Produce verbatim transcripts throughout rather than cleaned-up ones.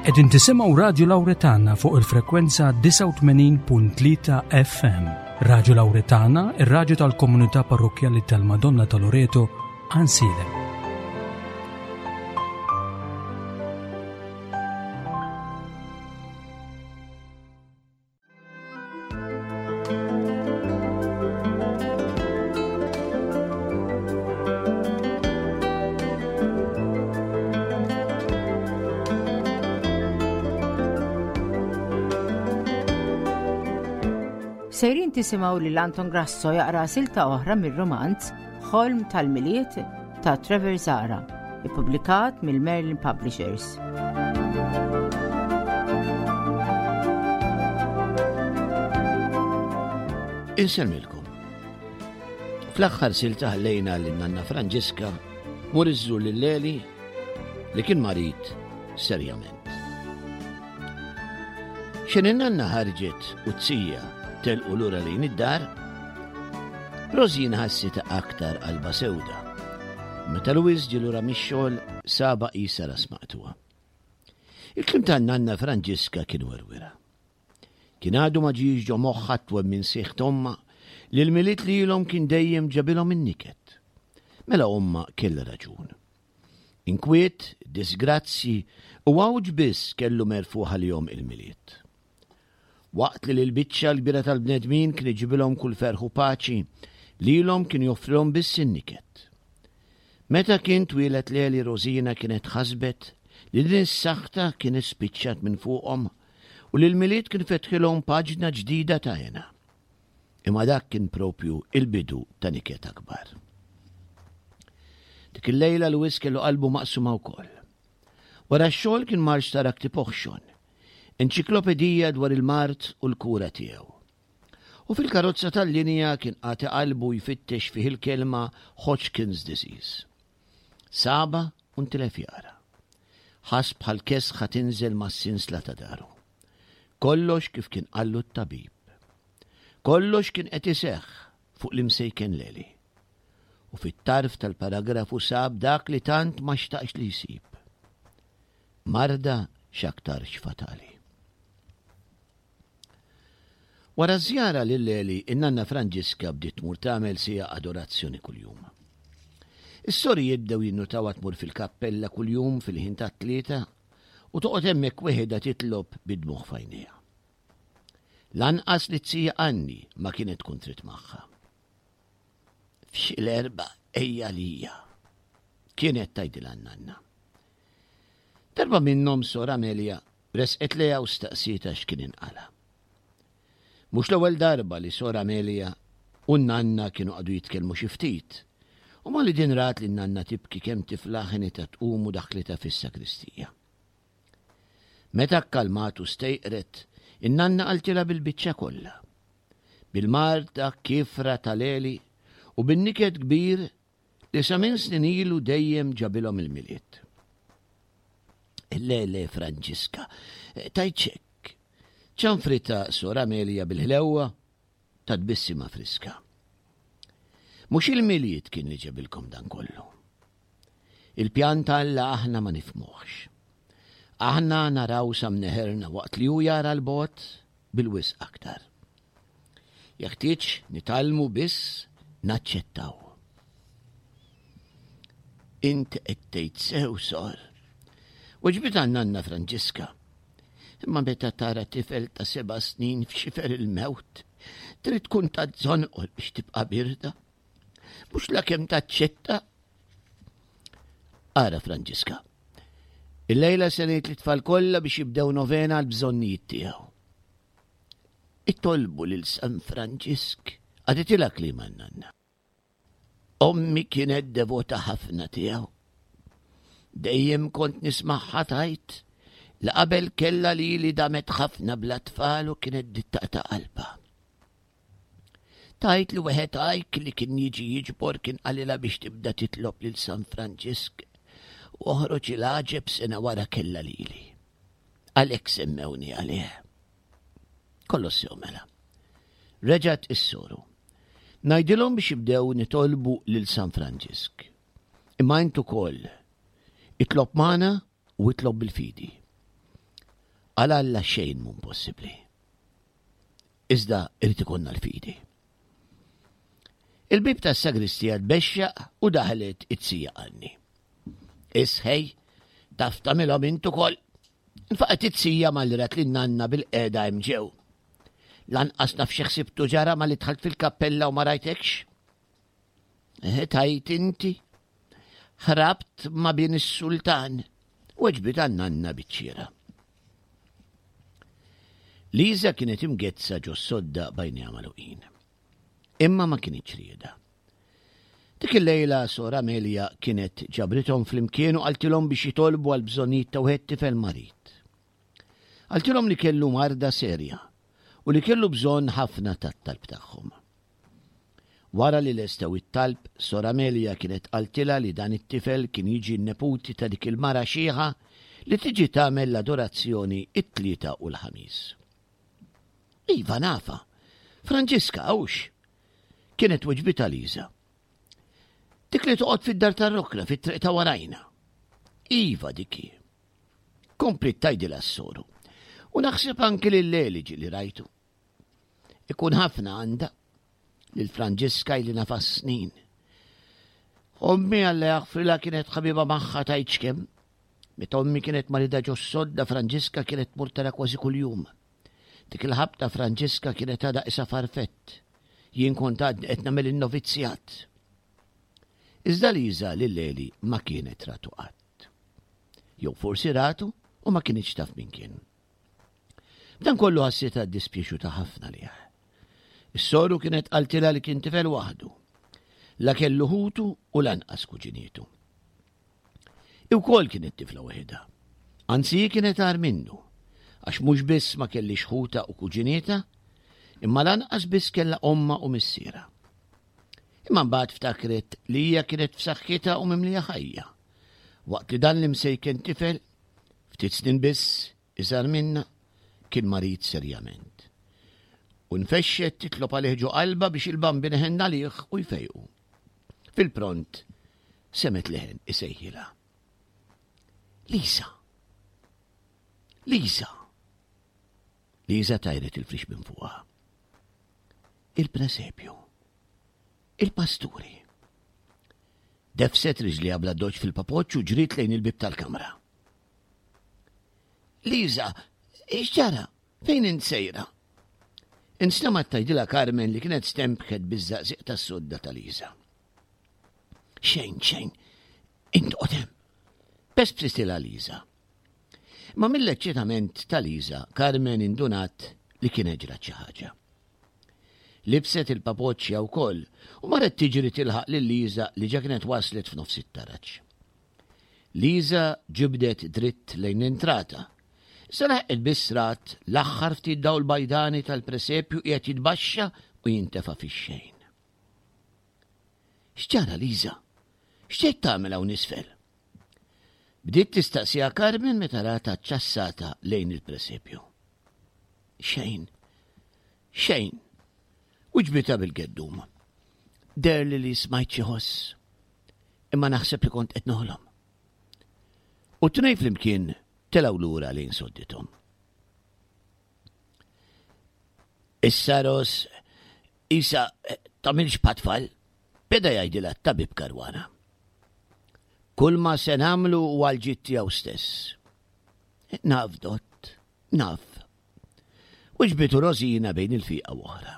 Qegħdin tisimgħu Radju Lawretana fuq il-frekwenza disgħa u tmenin punt tlieta F M. Radju Lawretana, ir-radju tal-Komunità Parrokkjali tal-Madonna ta' Loreto, Għajnsielem. Sejrin tisimgħu lil Anton Grasso jaqra silta oħra mir-romanz Ħolm tal-Milied ta' Trevor Zahra, ippubblikat mill-Merlin Publishers. Insellmilkom. Fl-aħħar silta ħallejna lil Nanna Franġiska tmur iżżur lil Leli li kien marid serjament. X'ħin in-nanna ħarġet u z-zija telqu lura lejn id-dar, Rosina ħassitha aktar qalba sewda. Meta Louis ġie lura mix-xogħol sabha qisha ras maqtugħa. Il-kliem tan-nanna Franġiska kien werwira. Kien għadu ma ġiex ġo moħħha twemmin sħiħ t'ommha li l-Milied lilhom kien dejjem ġabilhom in-niket. Mela ommha kellha raġun. Inkwiet, disgrazzi u għawġ biss kellu merfugħ għalihom il-Milied. Waqt li l-biċċa l-kbira tal-bnedmin kien iġibilhom kull ferħ u paċi, lilhom kien joffrilhom biss in-niket. Meta kien twieled Leli, Rosina kienet ħasbet li din is-saħta kienet spiċċat minn fuqhom u li l-Milied kien fetħilhom paġna ġdida ta' hena. Imma dak kien propju il-bidu ta' niket akbar. Dik il-lejla Louis kellu qalbu maqsuma wkoll. Wara x-xogħol kien mar xtara ktieb oħxon, enċiklopedija dwar il-mard u l-kura tiegħu. U fil-karozza tal-linja kien qata' qalbu jfittex fih il-kelma Hodgkin's disease. Sabha u ntilef jaqra. Ħass bħal kesħa tinżel mas-sinsla ta' dahru. Kollox kif kien qallu t-tabib. Kollox kien qed iseħħ fuq l-imsejken Leli. U fit-tarf tal-paragrafu sab dak li tant ma xtaqx li jsib. Marda x'aktarx fatali. Wara żjara lil Leli, in-nanna Franġiska bdiet tmur tagħmel siegħa adorazzjoni kuljum. Is-sorijiet bdew jinnutawha tmur fil-kappella kuljum fil-ħin tat-tlieta u toqgħod hemmhekk weħidha titlob bid-dmugħ f'għajnejha. Lanqas iz-zija Anni ma kienet tkun trid magħha. "F'xi l-erbgħa ejja għalija," kienet tgħidilha n-nanna. Darba minnhom Sor Amelia resqet lejha u staqsietha x'kien inqala'. Mhux l-ewwel darba li Sor Amelia u n-nanna kienu qagħdu jitkellmu xi ftit. U malli din rat li n-nanna tibki kemm tiflaħ, għenitha tqum u daħlitha fis-sakristija. Meta kkalmat u stejqret, in-nanna qaltilha bil-biċċa kollha. Bil-marda kiefra ta' Leli u bin-niket kbir li sa minn snin ilu dejjem ġabilhom il-Milied. "Le, le, Franġiska, tgħidx hekk," ċanfritha Sor Amelia bil-ħlewwa ta' tbissima friska. "Mhux il-Milied kien li ġabilkom dan kollu. Il-pjan t'Alla aħna ma nifhmuhx. Aħna naraw sa mneħirna waqt li hu jara 'l bogħod bil-wisq aktar. Jeħtieġ nitgħallmu biss naċċettaw." "Int qed tgħid sew, Sor," weġbitha n-nanna Franġiska. "Imma meta tara tifel ta' seba' snin f'xifer il-mewt, trid tkun ta' żonqor biex tibqa' birda. Mhux la kemm taċċetta. Ara, Franġiska. Il-lejla se ngħid lit-tfal kollha biex jibdew novena għal bżonnijiet tiegħu. Itolbu lil San Franġisk," qaltilha kliema nanna. "Ommi kienet devota ħafna tiegħu. Dejjem kont nismagħha tgħid li qabel kella li li damet ħafna bla tfal u kienet taqta' qalbha. Tgħid li wieħed għajk li kien jiġi jiġbor kien qalilha biex tibda titlob lil San Franġisk u oħroġ il-għaġeb, sena wara kella lili. Għalhekk semmewni għalih. Kollox sew mela," reġgħet is-soru. "Ngħidilhom biex jibdew nitolbu lil San Franġisk. Imma int ukoll itlob magħna u itlob bil-fidi. Għal Alla xejn mhu impossibbli. Iżda irid ikollna l-fidi. Il-bib tas-sagristija tbexxaq u daħlet it-sija Anni. Isħej, taf tagħmilhom int ukoll. Infaqet it-sija malli rat lin-nanna bil-qiegħda hemm ġew. Lanqas naf xi ħsibtu ġara malli dħalt fil-kappella u ma rajtekx. Eh, tajt inti. Ħrabt ma' bin is-sultan, weġbitha n-nanna biċ-ċiera. Liza kienet imgezza ġo sodda b'għajnejha magħluqin. Imma ma kinitx rieda. Dik il-lejla Sor Amelia kienet ġabrithom flimkien u qaltilhom biex jitolbu għal bżonnijiet ta' wieħed tifel marid. Qaltilhom li kellu marda serja u li kellu bżonn ħafna tat-talb tagħhom. Wara li lestew it-talb, Sor Amelia kienet qaltilha li dan it-tifel kien jiġi n-neputi ta' dik il-mara xiħa li tiġi tagħmel l-adorazzjoni it-Tlieta u l-Ħamis. Iva nafa, Franġiska hux? Kienet weġbitha Liza. Dik li toqgħod fid-dar tar-rokna fit-triq ta' warajna. Iva dik hi. Kompliet tgħidilha s-soru. U naħseb anki lil Leli ġieli rajtu. Ikun ħafna għandha lil Franġiska ili nafha snin. Ommi Alla jaħfrilha kienet ħabiba magħha tgħidx kemm. Meta ommi kienet marida ġo sodda Franġiska kienet tmur tara kważi kuljum. Dik il-ħabta Franġiska kienet għadha qisha farfett. Jien kont għadni qed nagħmel in-novizzjat. Iżda Liza lil Leli ma kienet ratu qatt. Jew forsi ratu u ma kinitx taf min kien. B'dan kollu ħassitha ddispjaċuta ħafna għalih. Is-soru kienet qaltilha li kien tifel waħdu. La kellu ħutu u lanqas kuġinietu. Hi wkoll kienet tifla waħedha. Anzi hi kienet agħar minnu, għax mhux biss ma kellhiex ħutha u kuġinietha, imma lanqas biss kellha ommha u missierha. Imma mbagħad ftakret li hija kienet f'saħħitha u mimlija ħajja, waqt li dan l-imsejken tifel, ftit snin biss iżgħar minnha, kien marid serjament. U nfexxet titlob għalih ġo qalbha biex il-Bambin iħenn għalih u jfejqu. Fil-pront semgħet leħen isejħilha. Lisa! Lisa! Lisa tajret il-frix minn fuqha. Il-presepju. Il-pasturi. Defset riġliha bla doċ fil-papoċċ u ġriet lejn il-bib tal-kamra. Liza, x'ġara? Fejn int sejra? Instemgħet tgħidilha Carmen li kienet stembħet biż-żaqżiq tas-sodda ta' Liza. Xejn, xejn, int oqgħod hemm. Pespsitilha Liza. Ma mill-eċċitament ta' Liza, Carmen indunat li kienet ġrat xi ħaġa. Libset il-papoċċja wkoll u marret tiġri tilħaq lil Liza li ġa kienet waslet f'nofs it-taraġ. Liza ġibdet dritt lejn l-entrata. Iżda laħqet biss rat l-aħħar ftit dawl bajdani tal-presepju qiegħed jitbaxxa u jintefa' fix-xejn. X'ġara Liza? X'ġejt tagħmel hawn isfel? Bdiet tistaqsiha Carmen meta ratha ċċassata lejn il-presepju. Xejn. Xejn. Wiġbitha bil-geddum. Deherli li smajt xi ħoss. Imma naħseb li kont qed noħlom. U t-tnejn flimkien telgħu lura lejn soddithom. Issa Ros, isa tagħmilx bħat-tfal, beda jgħidilha t-tabib Caruana. Kull ma se nagħmlu huwa għall-ġid tiegħu stess. Naf, dott, naf. Wiġbitu Rosina bejn il-fiqa u oħra.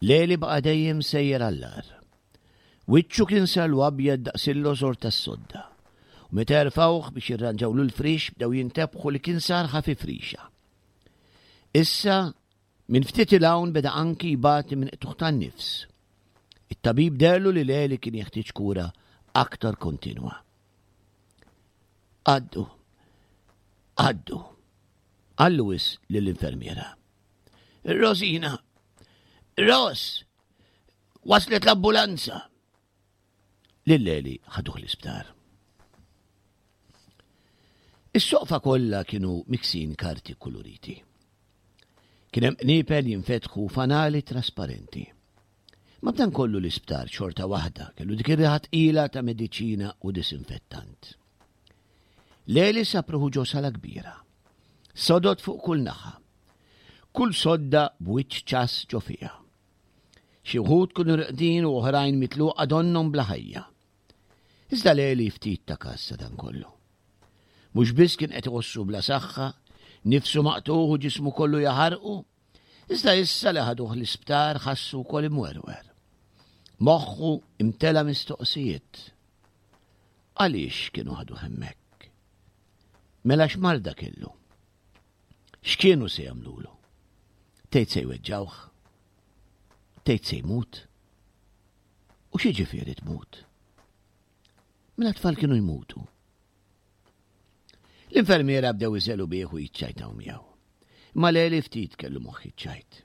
Leli baqa' dejjem sejjer għall-agħar. Wiċċu kien sarlu abjad daqs il-lożor tas-sodda. U meta erfawh biex jirranġawlu l-frix bdew jintebħu li kien sar ħafif rixa. Issa, minn ftit 'il hawn beda anki jbati minn qtugħ tan-nifs. It-tabib deherlu li Leli kien jeħtieġ kura aktar kontinwa. Għaddu, għaddu, qal Louis lill-infermiera. Rosina, Ros, waslet l-ambulanza. Lil Leli ħaduh l-isptar. Is-soqfa kollha kienu miksin karti kuluriti. Kien hemm qniepel jinfetħu fanali trasparenti. Ma b'dan kollu l-isptar xorta waħda kellu dik ir-riħa tqila ta' mediċina u disinfettant. Leli sab ruħu ġo sala kbira. Sodod fuq kull naħa. Kull sodda b'wiċċ ċass ġo fiha. Xi wħud kienu reqdin u oħrajn mitluqa donnhom bla ħajja. Iżda Leli ftit ta kas ta' dan kollu. Mhux biss kien qed iħossu bla saħħa, nifsu maqtugħ u ġismu kollu jaħarqu, iżda issa li ħaduh l-isptar ħassu wkoll imwerwer. Moħħu imtela mistoqsijiet. Għaliex kienu ħaduh hemmhekk? Mela x'marda kellu? X'kienu se jagħmlulu? Tgħid se jweġġawh? Tgħid se jmut? U x'jiġifieri tmut? Mela tfal kienu jmutu. L-infermiera bdew iżelu bih u jiċċajtaw miegħu. Imma Leli ftit kellu moħħ iċ-ċajt.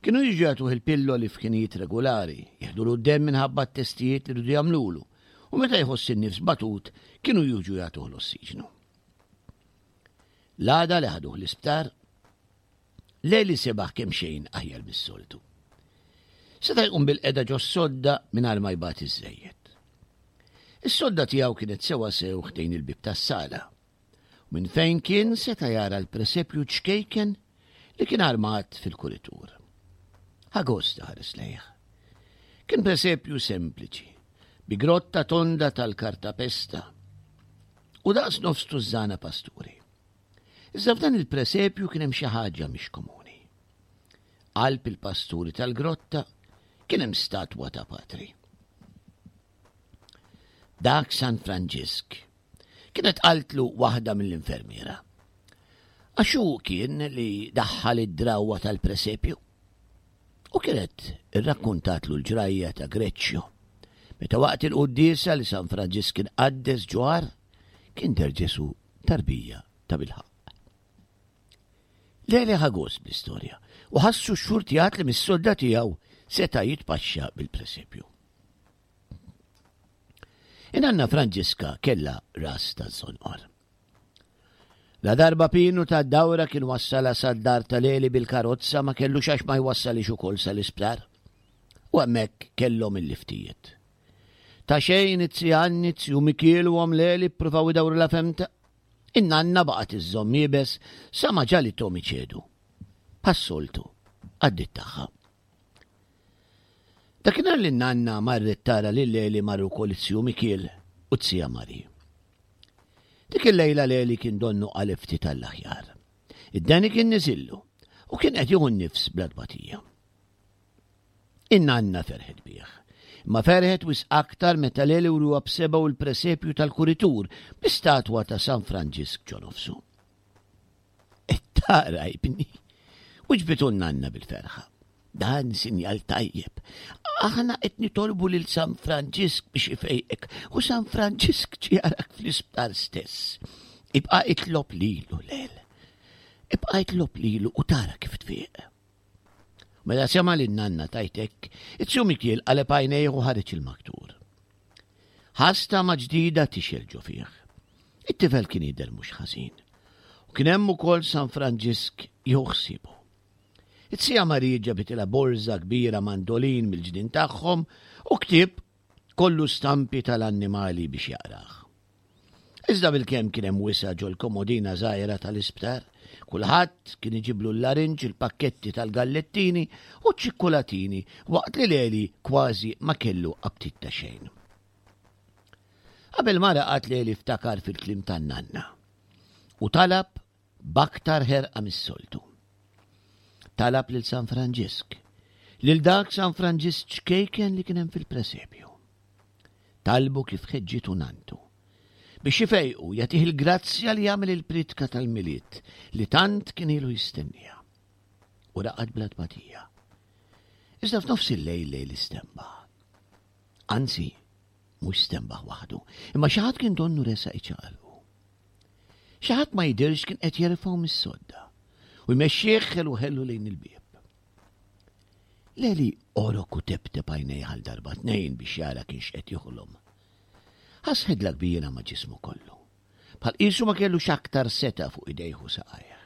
Kienu jiġu jagħtuh il-pilloli f'ħinijiet regulari, jeħdulu d-demm minħabba t-testijiet li rridu jagħmlulu, u meta jħoss in-nifs batut kienu jiġu jagħtuh l-ossiġnu. L-għada li ħaduh l-isptar, Leli sebaħ kemm xejn aħjar mis-soltu. Seta' jqum bil-qeda ġo sodda mingħajr ma jbati żejjed. Is-sodda tiegħu kienet sewa sew ħdejn il-bib tas-sala. U minn fejn kien seta' jara l-presepju ċkejken li kien armat fil-kuritur. Ħa gost ħares lejh. Kien presepju sempliċi, bi grotta tonda tal-kartapesta u daqs nofs tużżana pasturi. Iżda f'dan il-presepju kien hemm xi ħaġa mhix komuni. Qalb il-pasturi tal-grotta kien hemm statwa ta' patri. Dak San Franġisk kienet qaltlu waħda mill-infermiera. Għax hu kien li daħħal id-drawwa tal-presepju. U kienet irrakkuntatlu l-ġrajja ta' Greċċjo. Meta waqt il-quddiesa li San Franġisk kien qaddes ġwar, kien der Ġesu tarbija ta' bilħaqq. Leli ħa gost bl-istorja u ħassu xxurtjat li mis-sodda tiegħu seta' jitpaxxa bil-presepju. In-nanna Franġiska kellha ras ta' żonqor. La darba Pinu ta' dawra kien wassala sad-dar ta' Leli bil-karozza ma kellux għax ma jwassalix ukoll sal-isptar. U hemmhekk kellhom il-liftijiet. Ta' xejn it-tzi Anni, Mikiel u omm Leli ppruvaw idawru la femta. In-nanna baqgħet iżżomm iebes sa ma ġalithom iċedu. Bħas-soltu, għaddiet tagħha. Dakinhar li n-nanna marret tara lil Leli marru wkoll it-tiju Mikiel u t-tija Mari. Dik il-lejla Leli kien donnu qaleb ftit għall-aħjar. Id-deni kien niżillu u kien qed jieħu n-nifs bla tbatija. In-nanna ferħet bih. Ma ferħet wisq aktar meta Leli wruha b'seba' u l-presepju tal-kuritur bi statwa ta' San Franġisk ġo nofsu. Tara ibni, wiġbitu n-nanna bil-ferħa. Dan sinjal tajjeb. Aħna qed nitolbu lil San Franġisk biex ifejqek u San Franġisk ġie jarak fl-isptar stess. Ibqa' itlob lilu Lel. Ibqa' itlob lilu u tara kif tfiq. Mela sema' lin-nanna tgħid hekk, it-tiju Mikiel qaleb għajnejh u ħareġ il-maktur. Ħass tama ġdida tixgħel ġo fih. It-tifel kien jidher mhux ħażin. U kien hemm ukoll San Franġisk jieħu ħsiebu. It-tija Marija ġabitilha borża kbira mandolin mill-ġnien tagħhom u ktieb kollu stampi tal-annimali biex jaqrah. Iżda bil-kemm kien hemm wisa' ġol-komodina żgħira tal-isptar, kulħadd kien iġiblu l-larinġ, il-pakketti tal-gallettini u ċ-ċikkulatini waqt li Leli kważi ma kellu aptit ta' xejn. Qabel ma raqad Leli ftakar fil-kliem tan-nanna u talab b'aktar ħerqa mis-soltu. Talab lil San Franġisk, lil dak San Franġisk ċkejken li kien hemm fil-presepju. Talbu kif ħeġġitu nantu biex ifejqu jagħtih il-grazzja li jagħmel il-pritka tal-Milied li tant kien ilu jistennija. U raqad bla tbatija. Iżda f'nofs il-lejl Leli stenbaħ. Anzi, mhux stenbaħ waħdu, imma xi ħadd kien donnu resaq iċaqalqu. Xi ħadd ma jidirx kien qed jerfgħu mis-sodda u jmexxih ħelu ħelu lejn il-bieb. Leli għorok u teptep għajnejh għal darba tnejn biex jara kienx qed joħlom. Ħass ħidla kbira ma' ġismu kollu. Bħal qisu ma kellux aktar seta' fuq idejh u saqajh.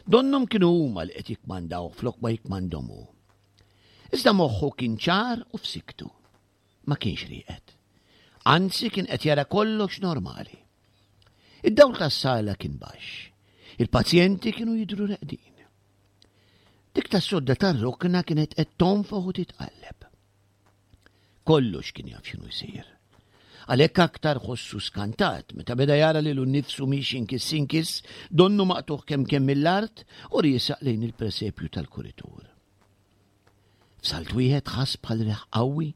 Donnhom kienu huma li qed jikmandaw flok ma jikmandhom hu. Iżda moħħu kien ċar u f'siktu. Ma kienx rieqed. Anzi kien qed jara kollox normali. Id-dawl tas-sala kien baxx. Il-pazjenti kienu jidhru reqdin. Dik tas-sodda tar-rokna kienet qed tonfoħ u titqalleb. Kollox kien jaf x'inhu jsir. Għalhekk aktar ħossu skantat meta beda jara lilu nnifsu miexi inkiss inkiss, donnu maqtugħ kemm kemm mill-art u riesaq lejn il-presepju tal-kuritur. F'salt wieħed ħass bħal riħ qawwi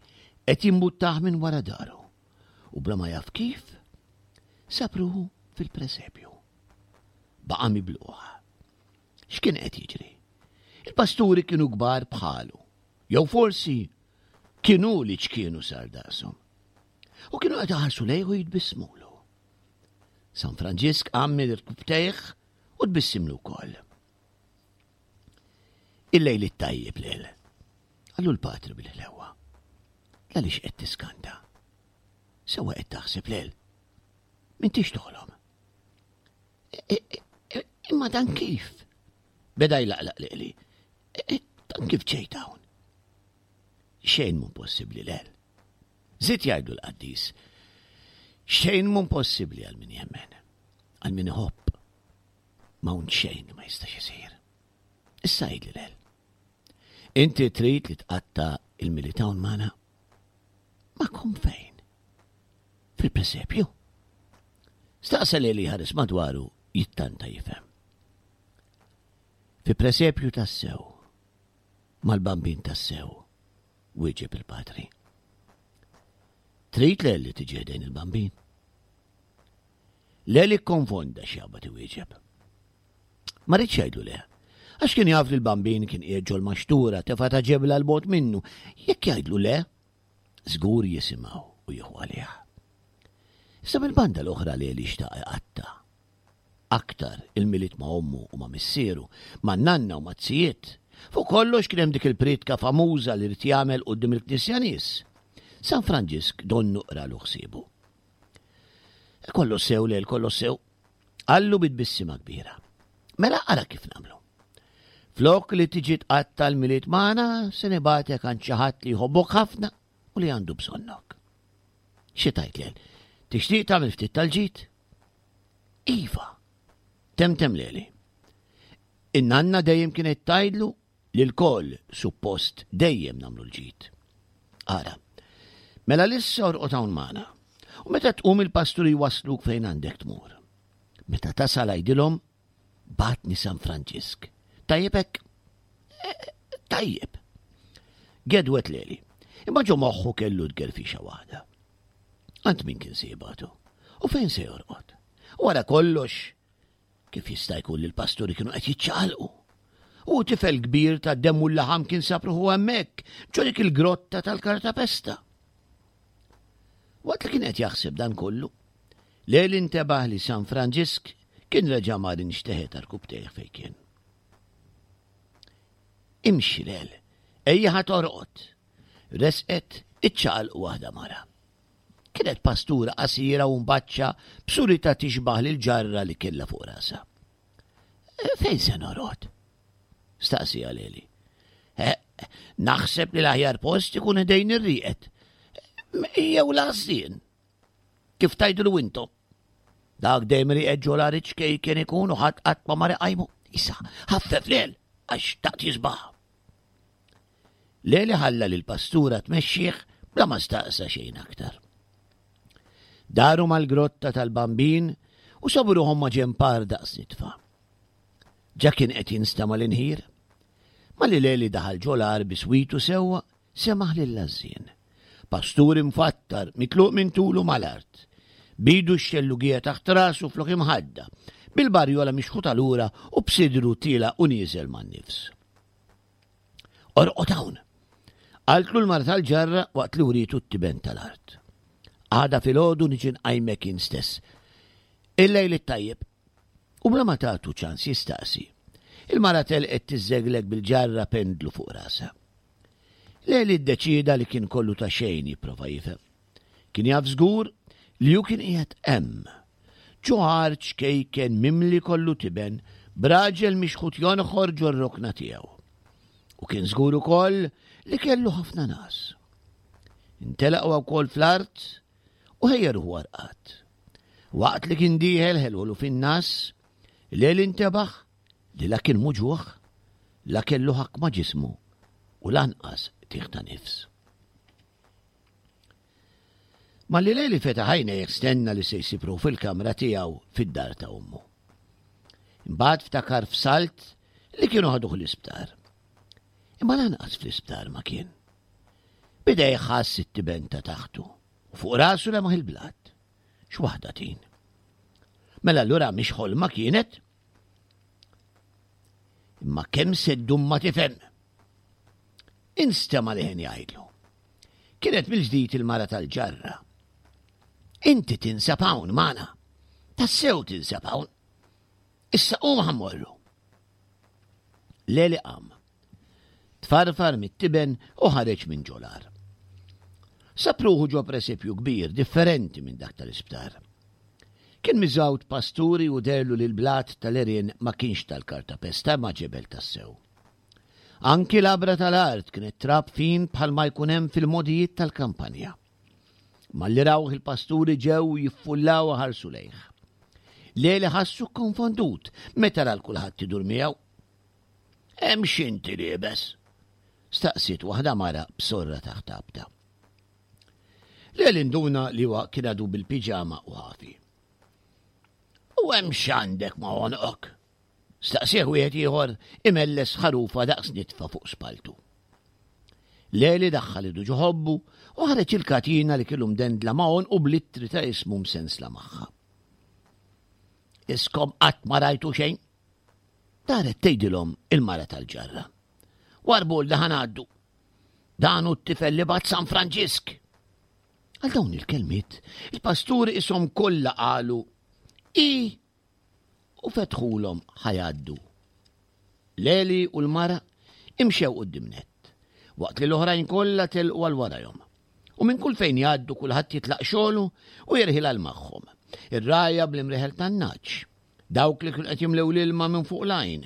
qed jimbuttah minn wara daru u bla ma jaf kif sab ruħu fil-presepju. Baqa' mibluħ. X'kien qed jiġri? Il-pasturi kienu kbar bħalu, jew forsi kienu li ċkienu sar daqshom. U kienu qed iħarsu lejh u jitbissmulu. San Franġisk qam mill-irkubtejh u tbissimlu wkoll. Il-lejl it-tajjeb lil. Qallu l-patri bil-ħlewa. Għaliex qed tiskanta? Sewa qed taħseb lil. M'intix toħlom. Imma dan kif? Beda jlaqlaq lili. Dan kif ġejt hawn? Xejn mhu possibbli lel. Żied jgħidlu l-qaddis. Xejn mhu possibbli għal min jemmen, għal min iħobb. M'hawn xejn li ma jistax isir. Issa għidli lel. Inti trid li tqatta' il-Milied hawn magħna? Magħkom fejn? Fil-presepju? Staqsa Leli ħares madwaru jittanta jifhem. Fi presepju tassew, mal-bambin tassew, wieġeb il-patri. Trid Leli tiġi ħdejn il-bambin? Leli kkonfonda x'jaqbad iwieġeb. Ma riedx jgħidlu le, għax kien jaf li l-bambin kien qiegħed ġol-maxtura tefa' ta' ġebla 'l bogħod minnu. Jekk jgħidlu le, żgur jisimgħu u jieħu għalih. Issa mill-banda l-oħra Leli xtaq iqatta' aktar il-Milied ma' ommu u ma' missieru, ma' nanna u ma' zijiet. Fuq kollox kien hemm dik il-priedka famuża li rid jagħmel quddiem il-knisja nies. San Franġisk donnu qralu ħsiebu. Kollox sew lel, kollox sew. Qallu bi tbissima kbira. Mela ara kif nagħmlu. Flok li tiġi tqatta' l-Milied magħna, se nibgħatek għand xi ħadd li jħobbok ħafna u li għandu bżonnok. Xi tgħid lel? Tixtieq tagħmel ftit tal-ġid? Iva, temtem Leli. In-nanna dejjem kienet tgħidlu li lkoll suppost dejjem nagħmlu l-ġid. Ara, mela lissa orqod hawn magħna. U meta tqum il-pasturi jwassluk fejn għandek tmur. Meta tasal għidilhom bagħatni San Franġisk. Tajjeb hekk? Tajjeb. Gedwet Leli. Imma ġo moħħu kellu tgerfixa waħda. Għand min kien se jibgħatu? U fejn se jorqod? Wara kollox, kif jista' jkun li l-pasturi kienu qed jiċċaqalqu? U tifel kbir ta' demm u l-laħam kien sab ruħu hemmhekk, ġo dik il-grotta tal-kartapesta. Waqt li kien qed jaħseb dan kollu, Leli intebaħ li San Franġisk kien reġa' mar inxteħet għarkupptejh fejn kien. Imxi Lel, ejja ħa torqod. Resqet iċċaqalqu waħda mara. Kienet pastura qasira u mbaċċa b'surita tixbah lil ġarra li kellha fuq rasha. Fejn se norqod? Staqsieha Leli. Naħseb li l-aħjar post ikun ħdejn ir-rieqed. Jew l-għażżien. Kif tgħidulu intom? Dak dejjem rieqed ġo l-għar iċ-ċkejken ikun u ħadd qatt ma mar iqajmu. Issa, ħaffef Lel, għax taqt jisbaħ. Leli ħalla lill-pastura tmexxih bla ma staqsa xejn aktar. Daru mal-grotta tal-Bambin u sabu ruħhom ma' ġempar daqs nitfa. Ġa kien qed jinstama' l-inħir. Malli Leli daħal ġol-għar bi switu sewwa, semaħ lill-għażżien. Pastur imfattar, mitluq minn tulu mal-art. B'idu x-xellugija taħt rasu flok imħadda, bil-barjola mixħuta lura u b'sidru tiela' u nieżel man-nifs. Orqod hawn! Qaltlu l-mara tal-ġarra waqt li wrietu t-tiben tal-art. Għada filgħodu niġi nqajmek jien stess. Il-lejl it-tajjeb. U bla ma tagħtu ċans jistaqsi. Il-mara telqet tiżżegleg bil-ġarra pendlu fuq rasha. Leli ddeċieda li kien kollu ta' xejn jipprova jifhem. Kien jaf żgur li hu kien qiegħed hemm. Ġo għar ċkejken mimli kollu tiben, b'raġel mixħut jonħor ġor-rokna tiegħu. U kien żgur ukoll li kellu ħafna nas. Intelaq huwa wkoll fl-art u ħejja ruħu għarqad. Waqt li kien dieħel ħelwolu fin-nas, Leli intebaħ li la kien muġuħ, la kellu ħakma ġismu u lanqas tieħ ta' nifs. Malli Leli fetaħ għajnejh stenna li se jsibru fil-kamra tiegħu fid-dar ta' ommu. Imbagħad ftakar f'salt li kienu ħaduh l-isptar. Imma lanqas fl-isptar ma kien. Bida jħass it-tiben ta' taħtu u fuq rasu lemaħ il-blat. X'waħda tin. Mela allura mhix ħolma kienet? Imma kemm se ddum ma tifhem? Instema' leħen jgħidlu. Kienet mill-ġdid il-mara tal-ġarra. Inti tinsab hawn magħna. Tassew tinsab hawn. Issa qum ħa mmorru. Leli qam. Tfarfar mit-tiben u ħareġ minn ġol-għar. Sab ruħu ġo presepju kbir, differenti minn dak tal-isptar. Kien miżgħud pasturi u derlu li l-blat tal-għerien ma kienx tal-kartapesta ma ġebel tassew. Anki l-għabra tal-art kienet trab fin bħal ma jkun hemm fil-modijiet tal-kampanja. Malli rawh il-pasturi ġew jiffullaw ħarsu lejh. Leli ħassu konfondut meta ra kulħadd idur miegħu. Hemm x'inti liebes? Staqsiet waħda mara b'sorra taħt abta. Leli nduna li huwa kien għadu bil-piġama u ħafi. U hemm x'għandek ma' għonqok? Staqsih wieħed ieħor imelles ħarufa daqs nitfa fuq spaltu. Leli daħħal idu ġo ħobbu u ħareġ il-katina li kellu mdendla ma' għonqu bl-ittri ta' ismu msensla magħha. Iskom qatt ma rajtu xejn? Daret tgħidilhom il-mara tal-ġarra. Warbu li ħa ngħaddu. Dan hu t-tifel li bagħat San Franġisk. Għal dawn il-kelmiet, il-pasturi ishom kollha qalu i u fetħulhom ħa jgħaddu. Leli u l-mara imxew quddiem nett, waqt li l-oħrajn kollha telqu għal warajhom. U minn kull fejn jgħaddu kulħadd jitlaq xogħlu u jerħil għal magħhom. Ir-rgħajja bl-imreħel tan-naċ, dawk li kienu qed jimlew l-ilma minn fuq l-għajn,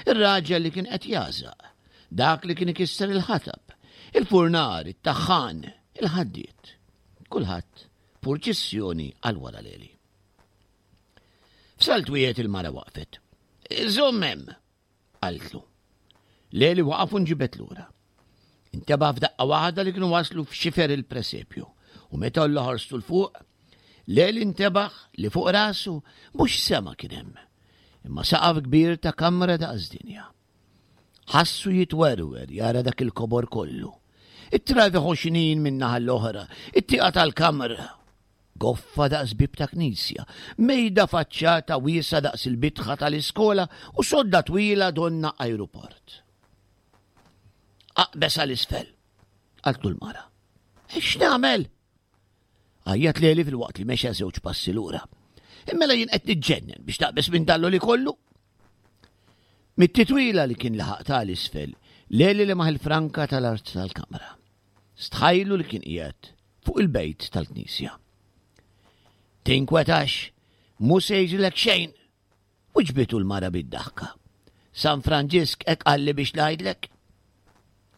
ir-raġel li kien qed jażaq, dak li kien ikisser il-ħatab, il-furnar, it-taħħan, il-ħaddied. Kulħadd purċissjoni għal wara Leli. F'salt wieħed il-mara waqfet. Żomm hemm, qaltlu. Leli waqaf u nġibet lura. Inteba' f'daqqa waħda li kienu waslu f'xifer il-presepju u meta għolla ħarstu 'l fuq, Leli intebaħ li fuq rasu mhux sema kien hemm, imma saqaf kbir ta' kamra daqs dinja. Ħassu jitwerwer jara dak il-kobor kollu. It-travi ħoxnin minn naħa l-oħra, it-tieqa tal-kamra, goffa daqs bib ta' knisja, mejda faċċata wiesa daqs il-bitħa tal-iskola u sodda twila donna ajruport. Aqbes għal isfel, qaltlu l-mara. X'nagħmel? Għajjat Leli fil-waqt li mexa żewġ passi lura. Immela jien qed niġġennen biex taqbes minn dallu li kollu. Mit-titwila li kien laħaq tal-isfel, Leli li maħ il-franka tal-art tal-kamra. Stħajlu li kien qiegħed fuq il-bejt tal-knisja. Tinkwetax, mu se jiġrilek xejn, wiġbitu l-mara bid-daħka. San Franġisk hekk qalli biex ngħidlek.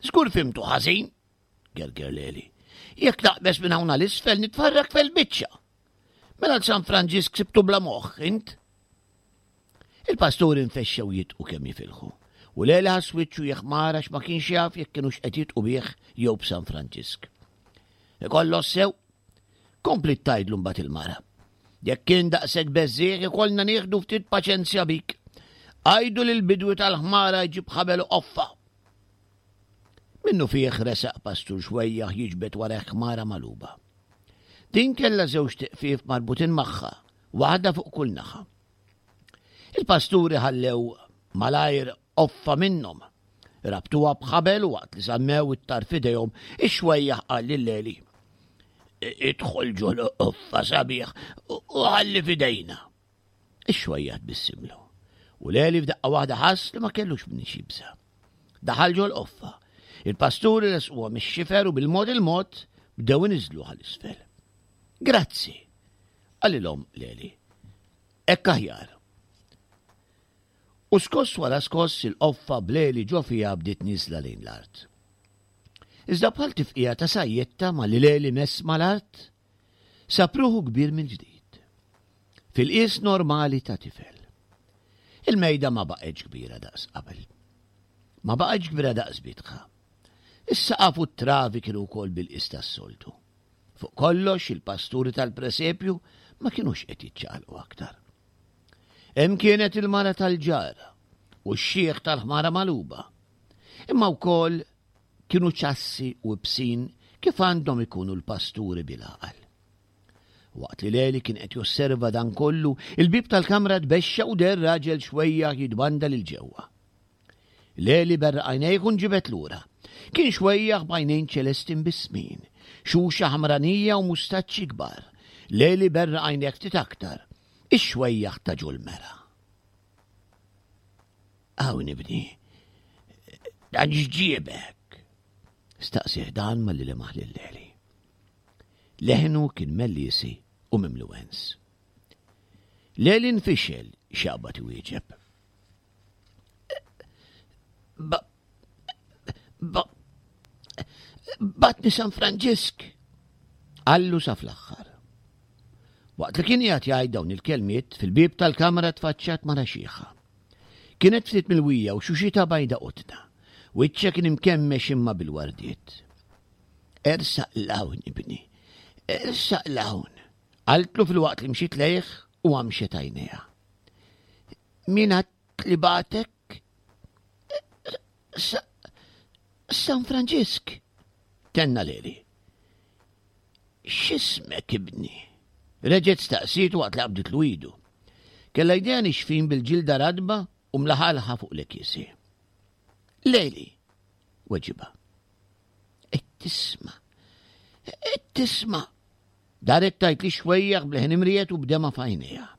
Żgur fimtu ħażin, gerger Leli. Jekk naqbes minn hawn l-isfel nitfarrak fil-biċċa. Mela San Franġisk sibtu bla moħħ, int? Il-pasturi nfexxew jitqu kemm jifilħu. U Leli ħass wiċċu jeħmar għax ma kienx jaf jekk kienux qed jitqu bih jew b'San Franġisk. Ikollu sew, kompli tgħidlu mbagħad il-mara. Jekk kien daqshekk beżżieħ ikollna nieħdu ftit paċenzja bik. Għajdu lil bidwi tal-ħmara jġib ħabel u qoffa. Minnu fih resaq pastur xwejjaħ jiġbed wara ħmara maluba. Din kellha żewġ tiqfief marbutin magħha, waħda fuq kull naħa. Il-pasturi ħallew malajr qoffa minnhom. Rabtuha b'ħabel u waqt li żammew it-tarf idejhom, ix-xwejjaħ qal lil Leli. Idħol ġol qoffa sabiħ u ħalli f'idejna. Ix-xwejjaħ tbissimlu. U Leli f'daqqa waħda ħass li ma kellux minn xibsa. Daħal ġol qoffa. Il-pasturi resquha mix-xifer u bil-mod il-mod bdew iniżlu għal isfel. Grazzi, qalilhom Leli. Hekk aħjar. U skoss wara skoss il-qoffa b'Leli ġo fiha bdiet niżla lejn l-art. Iżda bħal tifqija ta' sajjetta ma li Leli mess mal-art, sab ruħu kbir mill-ġdid. Fil-qies normali ta' tifel. Il-mejda ma baqgħetx kbira daqs qabel. Ma baqgħetx kbira daqs bitħa. Is-saqaf u t-travi kienu wkoll bil-qis tas-soltu. Fuq kollox il-pasturi tal-presepju ma kinux qed jiċċaqalqu aktar. Hemm kienet il-mara tal-ġara u x-xiħ tal-ħmara maluba. Imma wkoll kienu ċassi u bsin kif għandhom ikunu l-pasturi bil-għaqal. Waqt li Leli kien qed josserva dan kollu, il-bib tal-kamra tbexxa u der raġel xwejjaħ jitbanda lil ġewwa. Leli berra għajnejh u nġibet lura. Kien xwejjaħ b'għajnejn ċelesti mbissmin, xuxa ħamranija u mustaċċi kbar. Leli berra għajnejh ftit aktar, ix-xwejjaħ ta' ġol-mera. Hawn ibni, dan x'ġiebek? Staqsih dan malli lemaħ lil Leli. Leħnu kien mellisi u mimli wens. Leli nfixel x'jaqbad iwieġeb. Ba, ba, batni San Franġisk, qallu sa fl-aħħar. Waqt li kien qiegħed jgħid dawn il-kelmiet, fil-bieb tal-kamra tfaċċat mara xiħa. Kienet ftit milwija u xuxita bajda qotna. Wiċċha kien imkemmex imma bil-wardiet. Ersaq l-hawn, ibni, ersaq l-hawn. Qaltlu fil-waqt li mxiet lejh u għamxet għajnejha. Min għad li batek? San Franġisk, tenna Leli. X'ismek, ibni? Reġgħet staqsiet waqt li qabditlu idu. Kellha jdejha nixfin bil-ġilda radba u mlaħalħa fuq l-ekisi. Leli, weġibha. Qed tisma', qed tisma'. Daret tajt li xwejjaħ b'leħen imriet u b'dema f'għajnejha.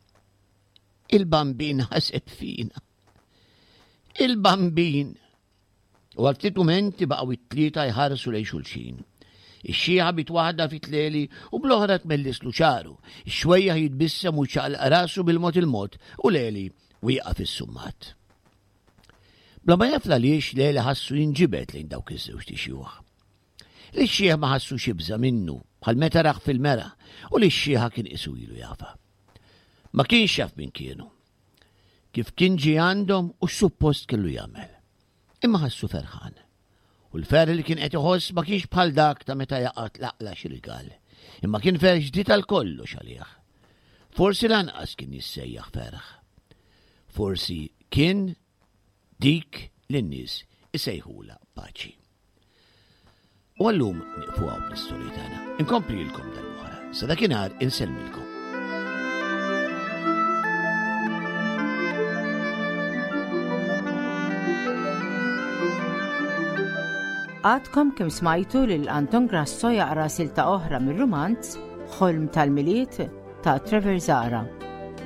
Il-Bambin ħaseb fina. Il-Bambin! U għal ftit mumenti baqgħu it-tlieta jħarsu lejn xulxin. Ix-xieħa bit waħda fit Leli u bl-oħra tmellislu xagħru. Ix-xwejjaħ jitbissem u jċaqlaq rasu bil-mod il-mod u Leli wieqaf is-summat. Bla ma jaf għaliex Leli ħassu jinġibed lejn dawk iż-żewġt ixjuħ. Li x-xieħ ma ħassux jibża' minnu bħal meta rah fil-mera u li x-xieħa kien qisu ilu jafha. Ma kienx jaf min kienu. Kif kien ġie għandhom u x'suppost kellu jagħmel. Imma ħassu ferħan. U l-ferħ li kien qed iħoss ma kienx bħal dak ta' meta jaqa' tlaqla xi rigal, imma kien ferħ ġdid għal kollox għalih. Forsi lanqas kien jissejjaħ ferħ. Forsi kien dik li n-nies isejħula paċi. U għallum nieqfu hawn bl-istorja tagħna. Inkomplilkom darb'oħra. Sa dakinhar insellmilkom. Għadkom kemm smajtu lil Anton Grasso jaqra silta oħra mir-rumanz Ħolm tal-Milied ta' Trevor Zahra.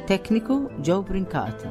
Tekniku Joe Brincat.